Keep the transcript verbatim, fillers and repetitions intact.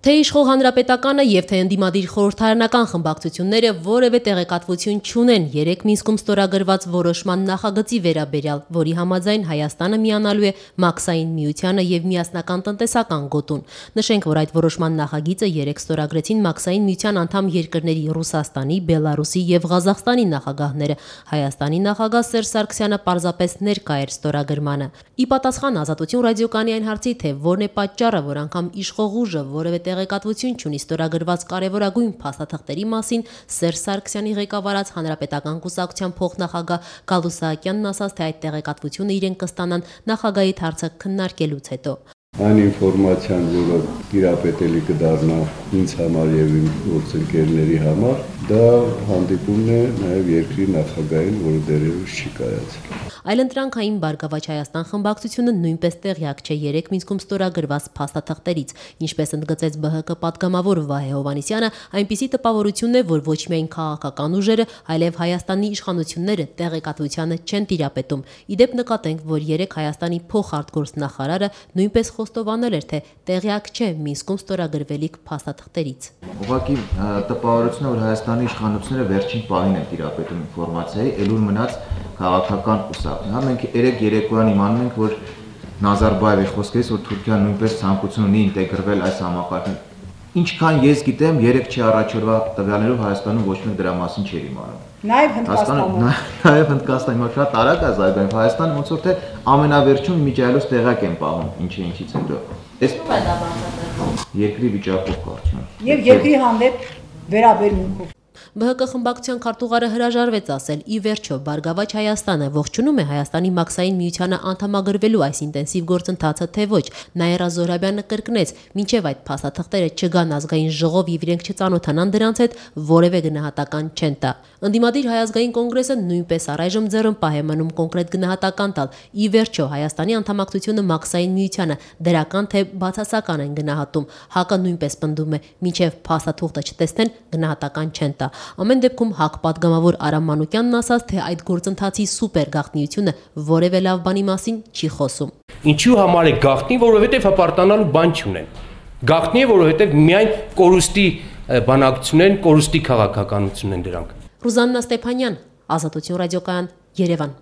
Թե իշխող հանրապետականը եւ թե ընդդիմադիր խորհրդարանական խմբակցությունները որևէ տեղեկատվություն չունեն երեք Մինսկում ստորագրված որոշման նախագծի վերաբերյալ, որի համաձայն Հայաստանը միանալու է Մաքսային միությանը եւ միասնական տնտեսական գոտուն։ Նշենք, որ այդ որոշման նախագիծը երեք ստորագրեցին Մաքսային միության անդամ երկրների Ռուսաստանի, Բելարուսի եւ Ղազախստանի նախագահները։ Հայաստանի նախագահ Սերժ Սարգսյանը պարզապես ներկա էր ստորագրմանը։ Ի պատասխան Ազատություն ռադիոկայանի այն հարցի, թե որն է պատճառը, որ անգամ իշխող ուժը որևէ տեղեկատվություն չունի ստորագրված կարևորագույն փաստաթղթերի մասին, Սերժ Սարգսյանի ղեկավարած Հանրապետական կուսակցության փոխնախագահ Գալուստ Սահակյանն ասաց, թե այդ տեղեկատվությունը իրենք կստանան նախագահի հարցը քննարկելուց հետո։ Այն ինֆորմացիան, որը տիրապետելի կդառնա ինձ համար եւ իմ գործընկերների համար, դա հանդիպումն է նաեւ երկրի նախագահին, որը դեռևս չի կայացել։ Այլընտրանքային Բարգավաճ Հայաստան խմբակցությունը նույնպես տեղյակ չէ երեք Մինսկում ստորագրված փաստաթղթերից, ինչպես ընդգծեց ԲՀԿ պատգամավոր Վահե Հովհաննիսյանը, այնպիսի տպավորությունն է, որ ոչ միայն քաղաքական ուժերը, այլև Հայաստանի իշխանությունները տեղեկատվությանը չեն տիրապետում։ Իդեպ նկատենք, որ երեք Հայաստանի փոխարտգործնախարարը նույնպես խոստովանել էր, թե տեղյակ չէ Մինսկում ստորագրվելիք փաստաթղթերից։ Ուղղակի տպավորությունն է, որ Հայաստանի իշխանությունները վերջին պահին են տիրապետում ինֆորմացիայի, ելույթ մնաց քաղաքական կուսակցություն։ Հա մենք երեք երեկոյան իմանում ենք, որ Նազարբաևի խոսքերից, որ Թուրքիան նույնպես ցանկություն ունի ինտեգրվել այս համակարգին։ Ինչքան ես գիտեմ, երեք չի առաջորվա տվյալներով Հայաստանում ոչ մեկ դրա մասին չէր իմանում։ Նաև Հնդկաստանում։ Նաև Հնդկաստանում, հիմա շատ արագ է զարգանում։ Հայաստանը ոնց որ թե ամենավերջում իմիջիայլոց տեղակ են պահում, ինչի ինչից հետո։ Այս երկրի վիճակով կարծում։ Եվ երկրի հանդեպ վերաբերմունքով։ ԲՀԿ խմբակցության քարտուղարը հրաժարվեց ասել, ի վերջո Բարգավաճ Հայաստանը ողջունում է Հայաստանի Մաքսային միությանը անդամագրվելու այս ինտենսիվ գործընթացը, թե ոչ։ Նաիրա Զոհրաբյանը կրկնեց, մինչև այդ փաստաթղթերը չգան ազգային ժողով եւ իրենք չծանոթանան դրանց հետ, որևէ գնահատական չեն տա։ Ընդդիմադիր Հայ ազգային կոնգրեսը նույնպես առայժմ ձեռնպահ է մնում կոնկրետ գնահատական տալ։ Ի վերջո Հայաստանի անդամակցությունը Մաքսային միությանը դրական թե բացասական են գնահատում։ ՀԱԿ-ը նույնպես պնդում է, մինչև փաստաթուղթը չտեսնեն, գնահատական չեն տա։ Ամեն դեպքում ՀԱԿ պատգամավոր Արամ Մանուկյանն ասաց, թե այդ գործընթացի սուպեր գաղտնիությունը որևէ լավ բանի մասին չի խոսում։ Ինչու համար է գաղտնի, որովհետև հպարտանալու բան չունեն։ Գաղտնի է, որովհետև միայն կորուստի բանակցություն են, կորուստի քաղաքականություն են դրանք։ Ռուզաննա Ստեփանյան, Ազատություն ռադիոկայան, Երևան։